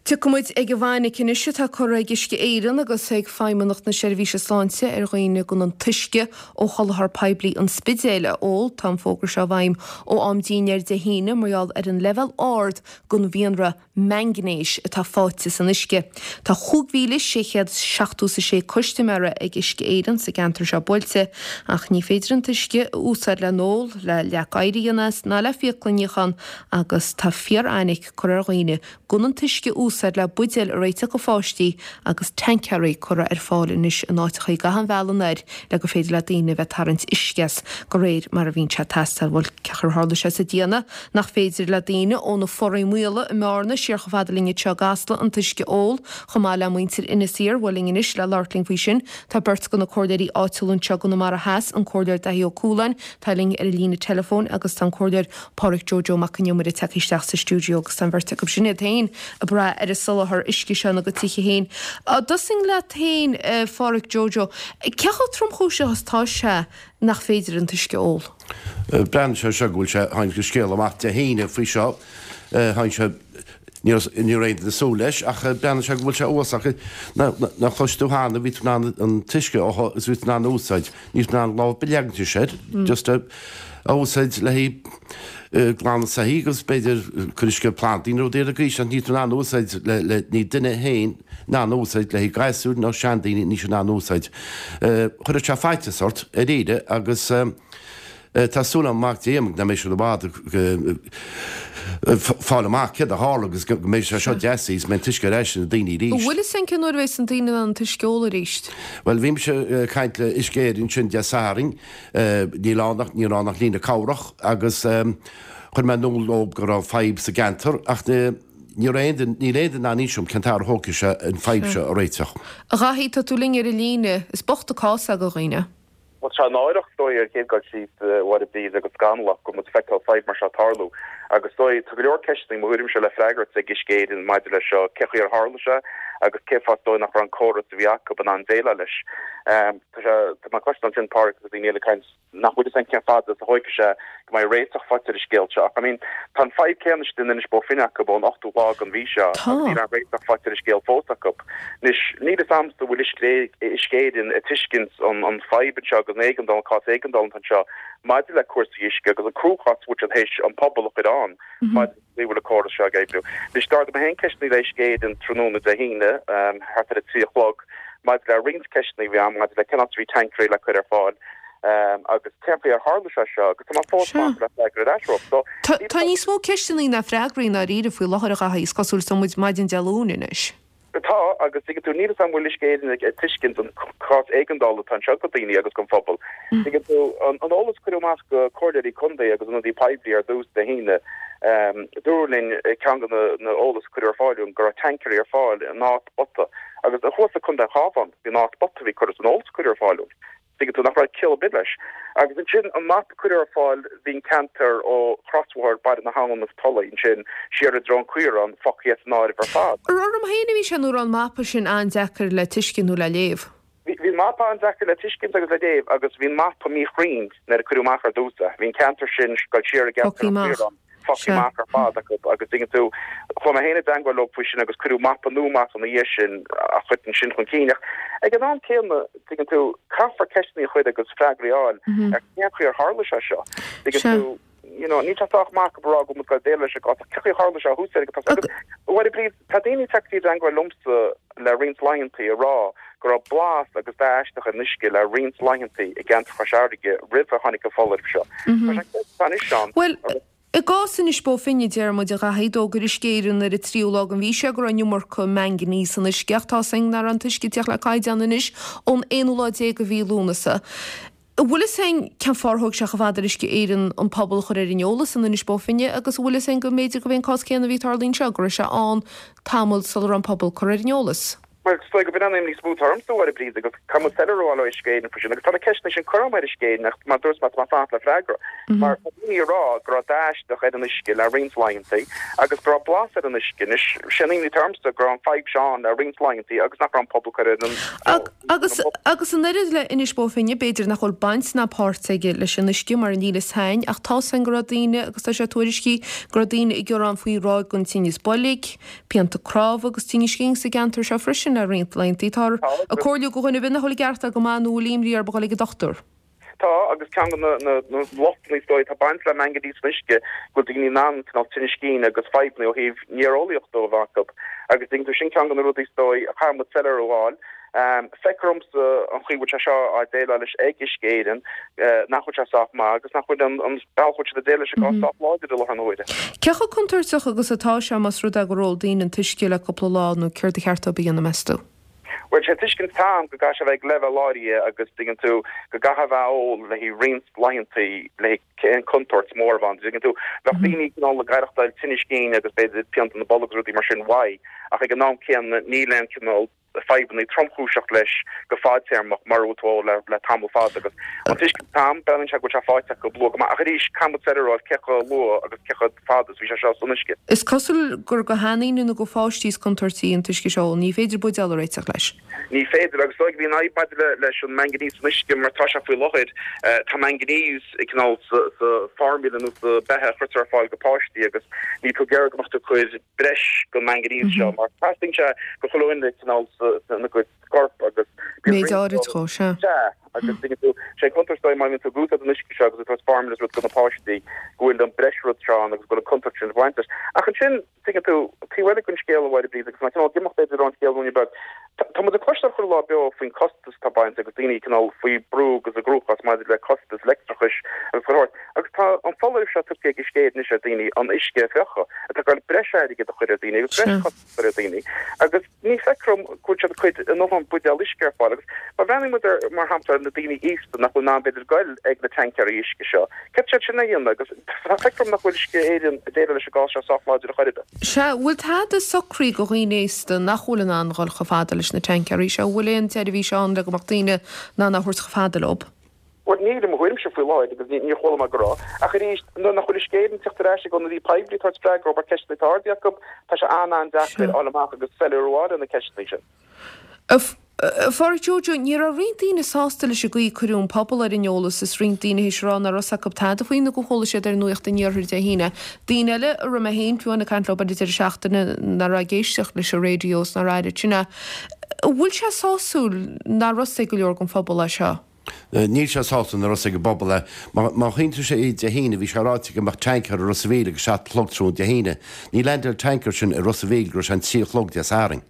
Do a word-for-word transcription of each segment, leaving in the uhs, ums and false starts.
Tiocfaidh muid ag an bhfainic anois atá curtha ag Uisce Éireann agus ag Feidhmeannacht na Seirbhíse Sláinte ar dhaoine gan an t-uisce ó sholáthar poiblí an Spidéil a ól. Tá an fógra seo i bhfeidhm ó am dinnéir Dé hAoine mar gheall ar an leibhéal ard den mhianra mangainéis atá faighte san uisce. Tá chúig mhíle sé chéad seachtó is a sé custaiméara ag Uisce Éireann sa gceantar seo buailte ach ní féidir an t-uisce a úsáid le n-ól, le leac oighir a dhéanamh as ná le fiacla a níochán agus tá fíorfhainic curtha ar dhaoine gan an t-uisce a úsáid le buidéil a réiteach do pháistí agus tancaerí curtha ar fáil anois in áiteacha ag achan bhealach anoir le gur féidir le daoine a bheith ag tarraingt uisce as de réir mar a bhíonn sé ag teastáil. Bhuel, cén chaoi ar tharla sé sa déanamh nach féidir le daoine ó na Foraí Maola i mBearna siar chomh fada linn anseo i gCasla an t-uisce a ól, chomh maith le muintir Inis Oírr. Bhuel, linn anois le labhairt linn faoi sin tá beirt de na comhairleoirí áitiúla anseo i gConamara Theas, an Comhairleoir Daithí Ó Cualáin, atá linn ar an líne teileafóin agus tá an Comhairleoir Pádraic Joe Joe Mac Con Iomaire tagtha isteach sa stiúideo agus tá an bheirt acu sin iad féin ag brath ar an soláthar uisce seo ina gcuid tithe féin. Tosóinn leat féin, a Phádraic Joe Joe, cé chomh tromchúiseach is atá sé nach féidir an t-uisce a ól? Breathnaíonn sé seo go bhfuil sé, tháinig an scéal amach Dé hAoine faoi seo, tháinig sé, ní raibh aon duine ag súil leis ach breathnaíonn sé go bhfuil sé uafásach. Nach chlois tú cheana, bhí tú in ann an t-uisce a fhothu agus bhí tú in ann a úsáid, ní raibh tú in ann lámh ar bith a leagaint air, just a úsáid le haghaidh glanadh soithí agus b'fhéidir cur uisce ar plandaí nó rudaí ar an gcaoi sin, ní raibh tú in ann a úsáid le, le, ní duine féin in ann a úsáid le haghaidh gasúir nó seandaoine, níl siad in ann a úsáid. Chuirfeadh sé faitíos ort, dáiríre, agus tá súil agam, mac Dé nach mbeidh siad i bhfad ag fáil amach céard a tharla agus go mbeidh sé seo deas is go mbeidh an t-uisce ar ais ag na daoine arís. An bhfuil fhios a'inn cén uair a bheas na daoine in ann an t-uisce a ól arís? Bhuel, bhí mise ag caint le Uisce Éireann ansin Dé Sathairn, níl ann ach, ní raibh ann ach líne cabhrach agus chuir mé in iúl dóibh go raibh fadhb sa gceantar ach ní raibh aon duine, níl aon duine in ann inse dom cén t-am a thógfaidh sé an fadhb seo a réiteach. A Dhaithí, tá tú linn ar an líne. Is bocht an cás é do dhaoine. Bhuel, tá sé náireach, is dóigh, ar an chéad dul síos, a Mháire Bríd, agus scannalach go bhfuil muid ag feiceáil fadhb mar seo ag tarlú. Agus is dóigh, tá go leor ceisteanna, i mo thuairimse, le freagairt ag Uisce Éireann maidir leis seo, cén chaoi ar tharla sé agus cén fáth is dóigh nach raibh an córas a bhí acu in ann déileáil leis. Tá sé, tá mé ag cloisteáil ansin Páraic agus daoine eile ag caint nach bhfuil fhios a'inn cén fad is a thóigfidh sé go mbeidh réiteach faighte ar an scéal seo. Ach, I mean, tá an fadhb céanna istigh in Inis Bó Finne acu ón ochtú lá den mhí seo Tá. agus níl aon réiteach faighte ar an scéal fós acu. Anois, níl fhios a'msa an bhfuil Uisce Éireann ag tuiscint an an fadhb anseo agus an éigeandáil, an cás éigeandála atá anseo maidir le cúrsaí uisce agus an cruachás a bhfuil siad théis an pobal a chur ann maidir le bhfuil an córas seo ag oibriú. Anois, d'ardaigh mé féin ceisteanna le Uisce Éireann tráthnóna Dé hAoine, thart ar a trí a chlog, maidir le roinnt ceisteanna a bhí a'm maidir le cén áit a bhí tancaerí le cur ar fáil agus cén chaoi ar tharla sé seo agus tá mé fós Sea. fanacht le freagra ar ais uathu. So, Tá níl tá níos mó ceisteanna ná freagraí i ndáiríre faoi láthair a Dhaithí, is cosúil is tá muid maidin Dé Luain anois. Tá, agus tuigeann tú, níl fhios a'm an bhfuil Uisce Éireann ag tuiscint an cás éigeandála atá anseo do daoine agus don phobal. Tuigeann tú, an eolas a cuireadh amach do comhairleoirí contae agus ionadaí poiblí ar dtús Dé hAoine, dúradh linn, ceann de na eolas a cuireadh ar fáil dúinn, go raibh tancaerí ar fáil in dhá spota agus thuas i Contae an Chabháin, bhí an dhá spota a bhí curtha san eolas a cuireadh ar fáil dúinn. Tuigeann tú nach raibh ciall ar bith leis. Agus ansin an mapa a cuireadh ar fáil, bhí an ceantar ó chrosbhóthar Baile na hAbhann agus Tulaigh ansin siar i dtreo an Chaoráin fágtha as an áireamh ar fad. Ar orm féin a bhí sé nó raibh an mapa sin an-deacair le tuiscint nó le léamh? Bhí an mapa an-deacair le tuiscint agus le léamh agus bhí an mapa míchruinn nuair a cuireadh amach ar dtús é. Bhí an ceantar sin ag dul siar i gceantar Fágtha an amach. Chaoráin. fágtha amach ar fad acu agus tuigeann tú, chuaigh mé féin i dteangmháil leo faoi sin agus cuireadh mapa nua amach ina dhiaidh sin a chuireann sin chun cinn ach ag an am céanna, tuigeann tú, caithfear ceisteanna a chur agus freagraí a fháil ar cén chaoi ar tharla sé seo. Tuigeann tú, you know, níl sé sách maith acu a rá go bhfuil muid ag dul déileáil leis an gcás ach cén chaoi ar tharla sé thuas air agus agus bhuel, Bríd, tá daoine ag teacht i dteangmháil liomsa le roinnt laethanta ag rá go raibh blas agus dath aisteach ar an uisce le roinnt laethanta i gceantar Chois Fharraige roimh a tháinig an foláireamh seo. Tá sé ceist anois ann Bhuel, I gcás Inis Bó Finne, deir muid, a Dhaithí, d'fhógair Uisce Éireann ar an tríú lá den mhí seo go raibh an iomarca manganese san uisce ach tá 's againn nach raibh an t-uisce ag tíocht le caighdeán anois ón aonú lá déag de mhí Lúnasa. An bhfuil fhios a'inn cén fáth ar thóg sé chomh fada ar Uisce Éireann an pobal a chur ar an eolas in Inis Bó Finne agus an bhfuil fhios a'inn go mb'fhéidir gurb é an cás céanna a bhí ag tarlú anseo, go raibh sé ann tamall sula raibh an pobal curtha ar an eolas? Well, is dóigh go b'in an imní is mó atá ormsa, a Mháire Bríd, agus caithfidh muid soiléiriú a fháil ó Uisce Éireann faoi sin, agus tá na ceisteanna sin curtha agam ar Uisce Éireann ach mar dúirt mé, tá mé ag fanacht le freagra. Mar tá daoine ag rá go raibh dath aisteach ar an uisce le roinnt laethanta agus go raibh blas ar an uisce. Anois, sé an imní atá ormsa go raibh an fadhb seo ann le roinnt laethanta agus nach raibh an pobal curtha ar an Agus agus an oiread le Inis Bó Finne, b'fhéidir nach bhfuil baint ná páirt aige leis an uisce mar níl fhios a'inn, ach tá 'fhios a'inn go raibh daoine, agus tá sé tuairiscithe, go raibh daoine ag gearán faoi ráig den tinneas boilg, pianta cnámha agus tinnis cinn sa gceantar seo freisin le roinnt laethanta. Táthar ag comhairliú do dhuine ar bith nach bhfuil ag aireachtáil go maith nó a bhfuil imní orthu a dhul ag an dochtúir. Tá, agus ceann de na lochtanna is dóigh atá baint le manganese san uisce, go bhfuil daoine in ann cineál tinnis cinn agus fadhbanna ó thaobh néareolaíochta a bheith acu. Agus tuigeann tú, sin ceann de na rudaí is dóigh a chaithfidh muid soiléiriú a fháil. Feictear domsa an chaoi a bhfuil sé seo á déileáil leis ag Uisce Éireann, nach bhfuil sé sách maith agus nach bhfuil an bealach a bhfuil siad ag déileáil leis an gcás sách láidir i láthair na huaire. Cé chomh contúirteach agus atá sé más rud é gur ól daoine an t-uisce le cúpla lá nó céard ba cheart dóibh a dhéanamh meas tú? Bhuel, sé an tuiscint atá agam go gcaithfidh sé a bheith ag leibhéal áirithe agus tuigeann tú go gcaithfidh a bheith á ól le haghaidh roinnt laethanta le haghaidh aon contúirt mór a bheith ann. Tuigeann tú, bheadh daoine cineál ag aireachtáil tinnis cinn agus b'fhéidir pianta na bolg agus rudaí mar sin uaidh ach ag an am céanna níl aon cineál fadhbanna tromchúiseach leis go fadtéarmach mura bhfuil tú á ól le tamall fada agus an tuiscint atá agam, breathnaíonn sé go bhfuil sé faighte acu luath go maith ach arís caithfidh muid soiléiriú a fháil cé chomh luath agus cé chomh fada is a bhí sé seo san uisce. Is cosúil gur do sheandaoine nó do pháistí is contúirtí an t-uisce seo, ní féidir buidéal a réiteach leis. Ní féidir agus is dóigh go bhí an fhadhb maidir leis an manganese san uisce mar tá sé faoi láthair, tá manganese cineál sa formula nó sa beatha a chuirtear ar fáil do pháistí agus níl tú ag iarraidh go mbeadh tú ag cur breis den manganese seo mar teastaíonn sé do chuile dhuine cineál ina gcuid corp agus bíonn Méid áirid dhó, sea. Sea, agus tuigeann tú, sé an contúirt is dóigh má bhíonn tú ag úsáid an uisce seo agus ag tabhairt formula is rud do na páistí go bhfuil an breis rud seo ann agus go bhfuil an contúirt sin ag baint leis. Ach ansin, tuigeann tú, taobh eile den scéal a Mháire Bríd agus mé cineál ag imeacht b'fhéidir ón scéal ruainne beag, tá muid ag cloisteáil chuile lá beo faoin costas atá bainte agus daoine cineál faoi brú agus i gcruachás maidir le costas leictreachais agus chuile shórt. Agus tá an foláireamh seo tugtha ag Uisce Éireann anois ar daoine an uisce a fhliuchadh, atá ag dul breis airgid a chur ar daoine agus breis costas a chur ar daoine. Agus ní feictear dom go bhfuil siad ag cur a ndóthain buidéal uisce ar fáil. Agus má bhreathnaíonn muid ar, mar shampla, ar na daoine aosta nach bhfuil in ann b'fhéidir goil ag na tancaeirí uisce seo, céard tá siad sin a dhéanamh? Agus feictear dom nach bhfuil Uisce Éireann ag déileáil leis an gcás seo sách láidir ar chor ar bith. Sea, bhfuil tada socraithe do dhaoine aosta nach bhfuil in ann dhul chomh fada leis na tancaeirí seo? Bhfuil aon tseirbhís ann le go mbeadh daoine in ann a thabhairt chomh fada leo? Bhuel, níl i mo thuairimse faoi láthair agus níor chuala mé go raibh. Ach arís, nuair nach bhfuil Uisce Éireann ag teacht ar ais ag ionadaí poiblí ag tabhairt freagra ar ceisteanna atá ardaithe acu, tá sé an-an-deacair fháil amach agus soiléiriú a fháil ar na ceisteanna sin. A Phádraig Joe Joe, ní raibh roinnt daoine sásta leis an gcaoi a cuireadh an pobal ar an eolas is roinnt daoine théis a rá nach raibh 'fhios acu tada faoi nó gur chuala siad ar Nuacht an Iarthair Dé hAoine. Daoine eile a raibh mé féin fiú amháin ag caint leo ar an deireadh seachtaine nach raibh ag éisteacht leis an raidió is nár airigh sin é. An bhfuil sé sásúil nach raibh 'fhios ag go leor den phobal é seo? Níl sé sásúil nach raibh 'fhios ag an bpobal é. Má chuimhníonn tú sé Dé hAoine, bhí sé ráite go mbeadh tancaer i Ros a' Mhíl ag a seacht a chlog tráthnóna Dé hAoine. Ní leaindeáil an tancaer sin i Ros a' Mhíl go raibh sé an trí a chlog Dé Sathairn.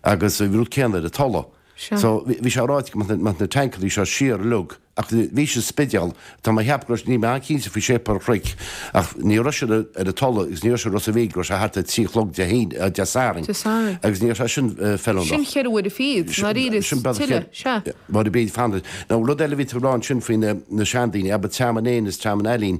Agus bhí rud céanna ar an Tulaigh. So bhí sé ráite go mbeadh na tancaerí seo siar uilig ach bhí siad sa Spidéal, tá mé a cheapadh go raibh, níl mé an-chinnte faoi Séipéal an Chnoic, ach ní raibh siad ar an Tulaigh agus ní raibh siad i Ros a' Mhíl go raibh sé thart ar trí a chlog Dé hAoine, Dé Sathairn. Dé Sathairn. Agus ní raibh sé sin feiliúnach. Sin cheithre uaire fichead, ndáiríre, is Sin bealach tuilleadh, sea. Mar a bhí fanacht. Now rud eile a bhí tú ag rá ansin faoi na na seandaoine, abair Tearmann Éin is Tearmann Ailín,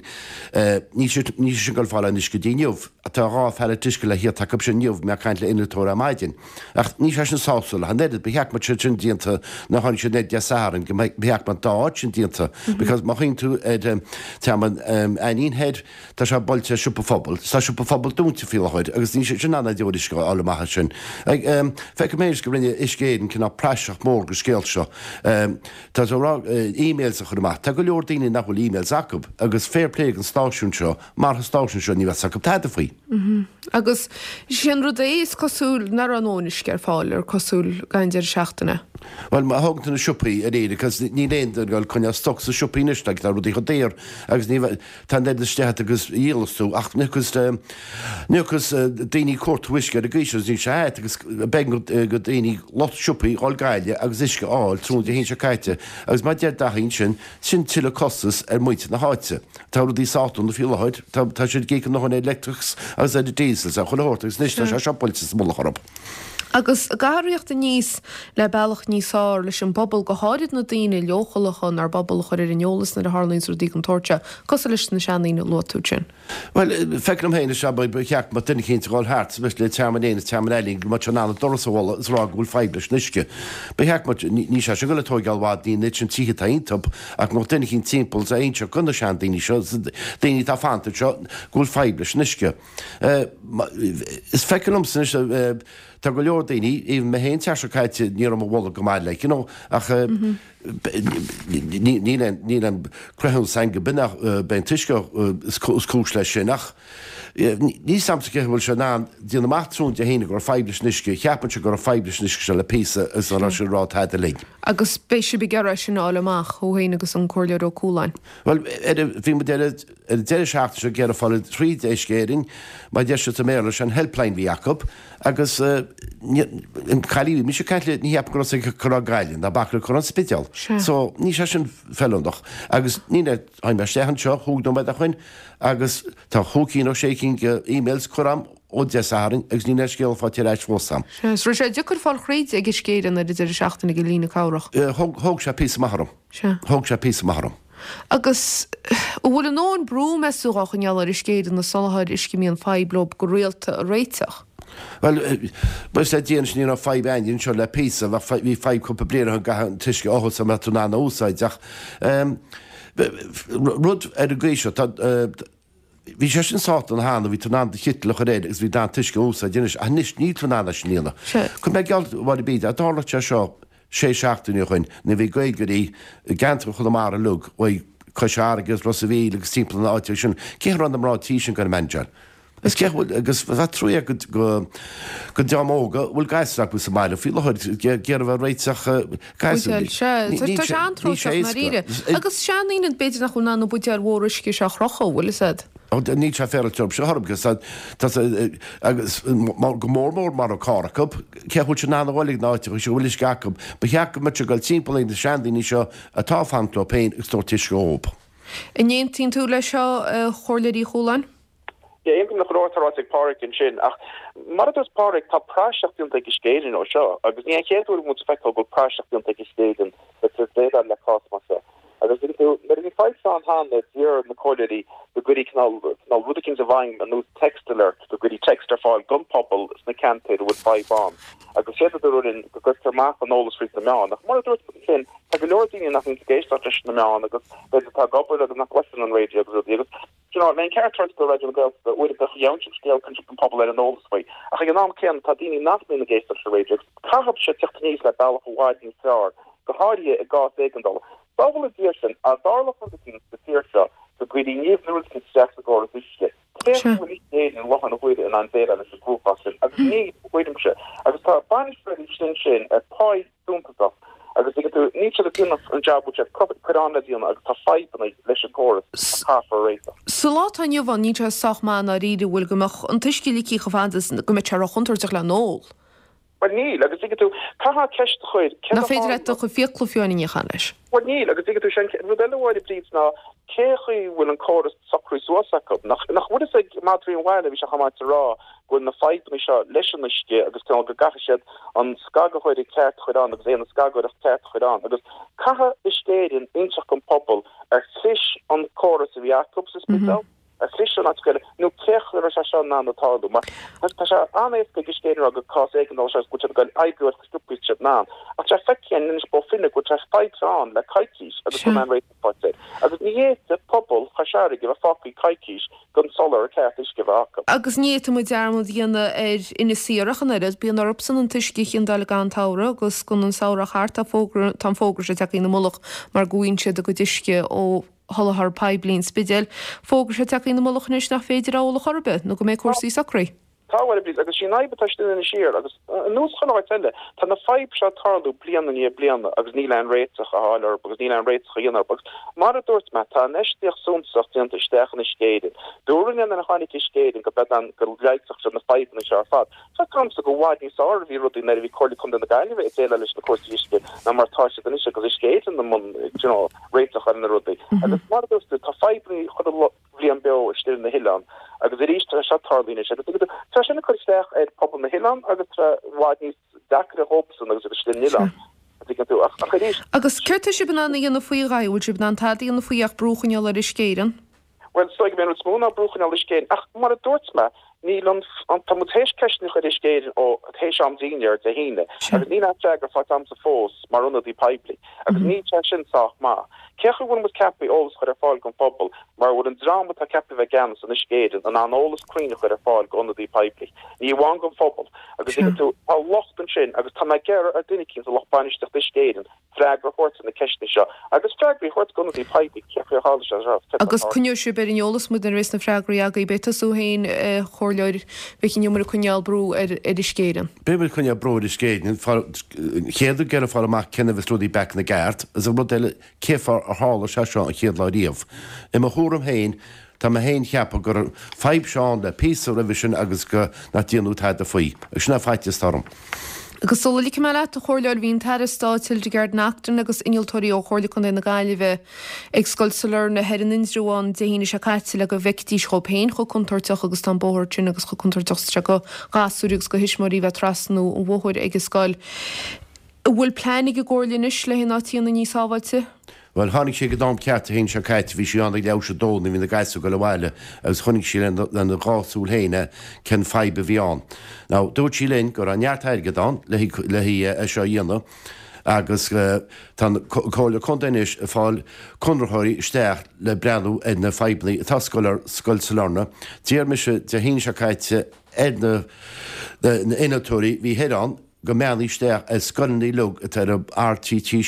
níl siad, níl siad sin ag dul fáil aon uisce go dtí inniu. Tá dhá phallet uisce le thíocht acu sin inniu, bhí mé ag caint le innealtóir ar maidin. Ach níl sé sin sásúil ach an oiread, ba cheart go mbeadh sé sin déanta nuair a tháinig siad ar Dé Sathairn, go mbeadh, ba cheart go mbeadh an dá áit sin déanta. Because má chuimhníonn tú ar Tearmann Ainnín Thoir, tá sé buailte ar Siopa Phobail, tá Siopa Phobail dúnta faoi láthair agus níl siad sin in ann aon uisce a fháil amach ansin. Feicim féin go rinne Uisce Éireann cineál praiseach mór den scéal seo. Tá tú ag rá emails a chur amach, tá go leor daoine nach bhfuil emails acu agus fair play don stáisiún seo, Mar an stáisiún seo ní bheadh 's acu tada faoi. Agus sin rud é, is cosúil nach raibh a ndóthain uisce ar fáil ar cosúil gan deireadh seachtaine. Bhuel, má thógann tú na siopaí ar Éirinn, cos níl aon duine ag dul coinneáil stoc sa siopaí anois, like, tá rudaí chomh daor agus ní bheidh, tá an oiread istigh agat agus a dhíolas tú ach ní thiocfas, ní thiocfas daoine ag cuartú uisce ar an gcaoi seo agus níl sé ait agus b'éigean do daoine, lucht siopaí, dhul Gaillimh agus uisce a fháil tráthnóna Dé hAoine seo caite agus mar a deir Daithí ansin, Sin tuilleadh costas ar mhuintir na háite. Tá rudaí sách dona faoi láthair, tá tá siad ag íoc a ndóthain ar leictreachas agus ar an diesel is ar chuile shórt agus anois tá sé seo buailte sa mullach orthu. Agus an gcaithfear a thíocht aníos le bealach níos fearr leis an bpobal, go háirid na daoine leochaileacha inár bpobal a chur ar an eolas nuair a tharlaíonns rudaí den tsórt seo, cosúil leis na seandaoine a luaigh tú ansin. Bhuel, feicim féin is ea, ba cheart go mbeadh duine eicínt ag dul thart, le Tearmann Éan is Tearmann Ailín, go mbeadh sé in ann an doras a bhualadh is a rá go bhfuil fadhb leis an uisce. Ba cheart go mbeadh, níl sé sin ag dul ag tóigeáil i bhfad, ní an oiread sin tithe atá iontu, ach go mbeadh duine eicínt timpeall is a inseacht do na seandaoine seo, daoine atá ag fanacht anseo, go bhfuil fadhb leis an uisce. Is feictear liomsa anois, tá go leor daoine, even mé féin an tseachtain seo caite, ní raibh mo bholg go maith like, you know, ach níl aon cruthúnas againn go b'in b'é an t-uisce is cúis leis sin ach níl 'fhios a'msa cé bhfuil sé in ann déanamh amach tráthnóna Dé hAoine go raibh fadhb leis an uisce, cheapfainnse go raibh fadhb leis an uisce seo le píosa is nach raibh sé ag rá tada linn. Agus beidh sibh ag iarraidh sin a fháil amach, thú féin agus an Comhairleoir Ó Cualáin. Bhuel, bhí muid ar an deireadh seachtaine seo ag iarraidh fáil tríd Uisce Éireann, mar a deir siad sa mBéarla, sé an helpline a bhí acu agus an cailín a bhí mise ag caint léi, ní cheapaim go raibh sí ag cur á Gaillimh ná bac le cur an Spidéal. So níl sé sin feiliúnach agus ní tháinig mé isteach anseo chúig nóiméad ó shoin agus tá chúig cinn nó sé cinn de emails curtha a'm ó Dé Sathairn agus níl aon scéala faighte ar ais fós a'm. Sea, is raibh sé deacair fáil thríd ag Uisce Éireann ar an deireadh seachtaine ag an líne cabhrach. Thóg sé píosa maith orm. Sea. Thóg sé píosa maith orm. Agus an bhfuil a ndóthain brú, meas tú, á choinneáil ar Uisce Éireann na soláthair uisce a mbíonn fadhb leo go rialta a réiteach? Bhuel, buíochas le Dia anois ní raibh fadhb againn anseo le píosa, bhí fadhb cúpla bliain ó shin go gcaithfeá an t-uisce a fhothu sula mbeadh tú in ann a úsáid ach rud ar an gcaoi seo, tá, bhí sé sin sách dona cheana, bhí tú in ann do chiteal a chur air agus bhí tú in ann an t-uisce a úsáid anois ach anois níl tú in ann é sin a dhéanamh. Cuirfidh mé geall a Mháire Bríd, dá dtarlódh sé seo sé seachtaine ó shoin nuair a bhí Gaeilgeoirí i gceantar Chonamara uilig, uaidh Cois Fharraige agus Ros a' Mhíl agus timpeall na áite sin, cé a raibh na mná tí sin ag goil a managéáil? Is cé bhfuil, agus bheadh trua go, go, go dream óga a bhfuil gasúir acu sa mbaile faoi láthair ag iarraidh bheith réiteach gasúir. Buidéal, sea, tá, tá sé an-tróiteach i ndáiríre. Agus seandaoine b'fhéidir nach bhfuil in ann na buidéil mhóra uisce seo a chrochadh, bhfuil fhios a'd. Níl sé féaráilte orthu seo orm, agus tá, tá, agus go mór mór mura raibh carr acu, cé a bhfuil siad in ann a dhul ag na áiteacha seo a bhfuil uisce acu, ba cheart go mbeadh siad ag dul timpeall ag na seandaoine seo atá ag fanacht leo féin agus tabhairt uisce dhóibh. An aontaíonn tú leis seo, a Chomhairleoir Uí Chualáin? Yeah, aontaím le chuile shórt atá ráite ag Páraic ansin, ach mar a dúirt Páraic, tá praiseach déanta ag Uisce Éireann ó seo, agus ní an chéad uair a bhfuil muid ag feiceáil go bhfuil praiseach déanta ag Uisce Éireann le tabhairt déileáil le cás mar seo. Agus tuigeann tú, nuair a bhí fadhb seo ann cheana, d'iarr na comhairleoirí go gcuirfí cineál, cineál rud eicínt i bhfeidhm ar nós text alert, go gcuirfí text ar fáil don phobal sna ceantair a bhfuil fadhb ann. Agus séard a dúradh linn, go gcuirtear amach an eolas fríd na meáin. Ach mar a dúirt muid ansin, tá go leor daoine nach mbíonn ag éisteacht leis na meáin agus b'fhéidir atá ag obair agus nach gcloiseann an raidió agus rudaí agus, you know, le an ceart a thabhairt do Raidió na Gaeltachta, uaireanta gheobhann siad scéal cuireann siad an pobal ar an eolas faoi. Ach ag an am céanna, tá daoine nach mbíonn ag éisteacht leis an raidió agus caithfidh sé teacht aníos le bealach i bhfad níos fearr, go háirithe i gcás éigeandála. Sábhála Dia sinn, dá dtarlódh rud eicínt sa tír seo go gcuirfí nimh nó rud eicínt isteach sa gcóras uisce, cén chaoi a bhfuil Uisce Éireann i láthair na huaire in ann déileáil leis an gcruachás sin? Agus níl, i mo thuairimse. Agus tá bainisteoirí sin sin ar pháí suntasach agus tuigeann tú, níl siad ag déanamh an jab a bhfuil siad curtha ann le déanamh agus tá fadhbanna leis an gcóras a chaithfear a réiteach. Sa lá atá inniu ann, níl sé sách maith i ndáiríre, bhfuil, go mbeadh an t-uisce ligthe chomh fada is go mbeadh sé ró-chontúirteach le n-ól. Bhuel níl, agus tuigeann tú, caithfear ceist a chur, céard Nach féidir leat do chuid fiacla fiú a níochán leis. Bhuel níl, agus tuigeann tú, sé an rud eile a Mháire Bríd ná cé chaoi a bhfuil an córas socraithe suas acu? Nach, nach bhfuil fhios ag madraí an bhaile, bhí sé chomh maith a rá go bhfuil na fadhbanna seo leis an uisce agus cineál go gcaithfidh siad an scagthóir ceart a chur ann agus aon scagthóireacht ceart a chur ann agus caithfidh Uisce Éireann inseacht don phobal ar chlis an córas a bhí acu sa Spidéal, ar chlis an áit eile nó cé chaoi a raibh sé seo in ann a tarlú mar tá sé an-éasca ag Uisce Éireann a rá gur cás éigeandála seo agus go bhfuil siad ag dul oibriú ar chomh sciobtha is siad in ann ach tá feicthe againn anois Bó Finne go bhfuil sé fadhb seo ann le coicís agus gan aon réiteach faighte air agus ní fhéadfadh pobal Chois Fharraige a bheith fágtha coicís gan soláthar ceart uisce a bheith acu. Agus ní fhéadfaidh muid dearmad a dhéanamh ar Inis Oírr ach an oiread. Bíonn orthusan an t-uisce a chiondáil i gcaitheamh an tsamhraidh agus don an samhradh thart tá fógra, tá an fógra seo tagtha ina mullach mar go bhfaigheann siad a gcuid uisce ó sholáthar poiblí an Spidéil. Fógra seo tagtha ina mullach anois nach féidir a ól ar chor ar bith nó go mbeidh cúrsaí socraithe. Tá, a Mháire Bríd, agus sí an fhadhb atá istigh in Inis Oírr, agus ar nós chuile áit eile, tá na fadhb seo ag tarlú bliain i ndiaidh bliana agus níl aon réiteach á fháil orthu agus níl aon réiteach á dhéanamh orthu. Agus mar a dúirt mé, tá infheistíocht suntasach déanta isteach in Uisce Éireann. Dúradh linn nuair a tháinig Uisce Éireann go bead ann go leigheasfadh siad na fadhbanna seo ar fad. Feictear domsa go bhfad níos fearr a bhí rudaí nuair a bhí Comhairle Contae na Gaillimhe ag déileáil leis na cúrsaí uisce ná mar atá siad anois agus Uisce Éireann i mbun, you know, réiteach ar na rudaí. Agus mar a dúirt tú, tá fadhbanna chuile bhliain beo istigh na hoileán agus arís tá seo tarlaíonn sé agus tá sin ag cur isteach ar pobal na hoileán agus tá i bhfad níos deacra dhóibhsan agus agus istigh na hoileán. Ach arís. Agus céard tá sibh in ann a dhéanamh faoi a Dhaithí? Bhfuil sibh in ann tada a dhéanamh faoi ach brú a choinneáil ar Uisce Éireann? Bhuel, is dóigh go mb'é an rud is mó ná brú a choinneáil ar Uisce Éireann ach mar a dúirt mé, níl an, tá muid théis ceisteanna a chur ar Uisce Éireann ó théis am dinnéir Dé hAoine agus níl aon freagra faighte agamsa fós mar ionadaí poiblí agus níl sé sin sách maith. Cé chaoi a bhfuil muid ceaptha eolas a chur ar fáil don phobal mura bhfuil an dream atá ceaptha a bheith i gceannas in Uisce Éireann in ann eolas cruinn a chur ar fáil d'ionadaí poiblí, ní amháin don phobal agus tuigeann tú, tá locht ansin agus tá mé ag iarraidh ar duine eicínt sa lucht bainistíochta Uisce Éireann freagra a thabhairt ar na ceisteanna seo agus freagraí a thabhairt d'ionadaí poiblí cé chaoi ar tharla sé seo. Agus coinneoidh sibh ar an eolas muid nuair a bheas na freagraí agaibh. Beidh tusa féin, a Chomhairleoir Mhic an Iomaire ag coinneáil brú ar Uisce Éireann. Beidh muid ag coinneáil brú ar Uisce Éireann. Chéad ag iarraidh fáil amach cén fáth a bhfuil rudaí back ina gceart agus an rud eile cé fáth ar tharla sé seo an chéad lá riamh. I mo thuairim féin, tá mé féin cheapadh go raibh fadhb seo ann le píosa roimhe sin agus go nach déanadh tada faoi. Agus sin é faitíos atá orm. Agus sula ligfidh mé leat, a Chomhairleoir, bhí an tAire Stáit Hildegarde Naughton agus innealtóirí ó Chomhairle Contae na Gaillimhe ag Scoil Sailearna thoir in Indreabhán Dé hAoine seo caite le go bhfeicfidís dhóibh féin chomh contúirteach agus tá an bóthar sin agus chomh contúirteach is atá sé do ghasúir agus do thuismitheoirí bheith ag trasnú an bhóthair ag an scoil. An bhfuil plean ag an gComhairle anois le hé an áit a dhéanamh níos sábháilte? Bhuel, tháinig sí ag an am ceart Dé hAoine seo caite, bhí sí ann ag leathuair théis a dó nuair a bhí na gasúir ag dul abhaile agus chonaic sí lena dhá súil féin é cén fadhb a bhí ann. Now, dúirt sí linn go raibh neart airgead ann le haghaidh é seo a dhéanamh agus tá an Comhairle Contae anois ag fáil conraitheoirí isteach le breathnú ar na fadhbanna atá ar Scoil Sailearna. D'iarr mise Dé hAoine seo caite ar na innealtóirí a bhí thoir ann, go mbreathnódh isteach ar scoileanna uilig atá ar an R trí trí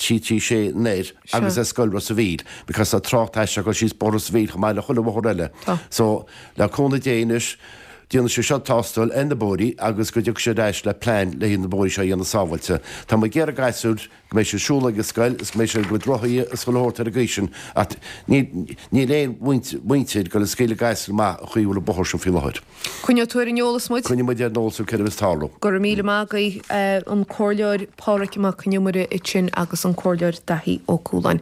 trí trí sé anoir agus ar scoil Ros a' Mhíl because tá trácht aisteach ag dul síos bóthar Ros a' Mhíl chomh maith le chuile bhóthar eile. So le cúnamh Dé anois déanfaidh siad seo tástáil ar na bóithrí agus go dtiocfaidh siad ar ais le plean le haghaidh na bóithrí seo a dhéanamh sábháilte. Tá muid ag iarraidh gasúir go mbeidh siad ag siúl ag an scoil is go mbeidh siad ag a gcuid rothaí is chuile shórt ar an gcaoi sin ach níl aon mhuintir ag dul ag scaoileadh gasúir amach an chaoi a bhfuil an bóthar sin faoi láthair. Coinneoidh tú ar an eolas muid. Coinneoidh muid ar an eolas thú céard a bheas ag tarlú. Go raibh míle maith agaibh, an Comhairleoir Pádraig Mac Con Iomaire ansin agus an Comhairleoir Daithí Ó Cualáin.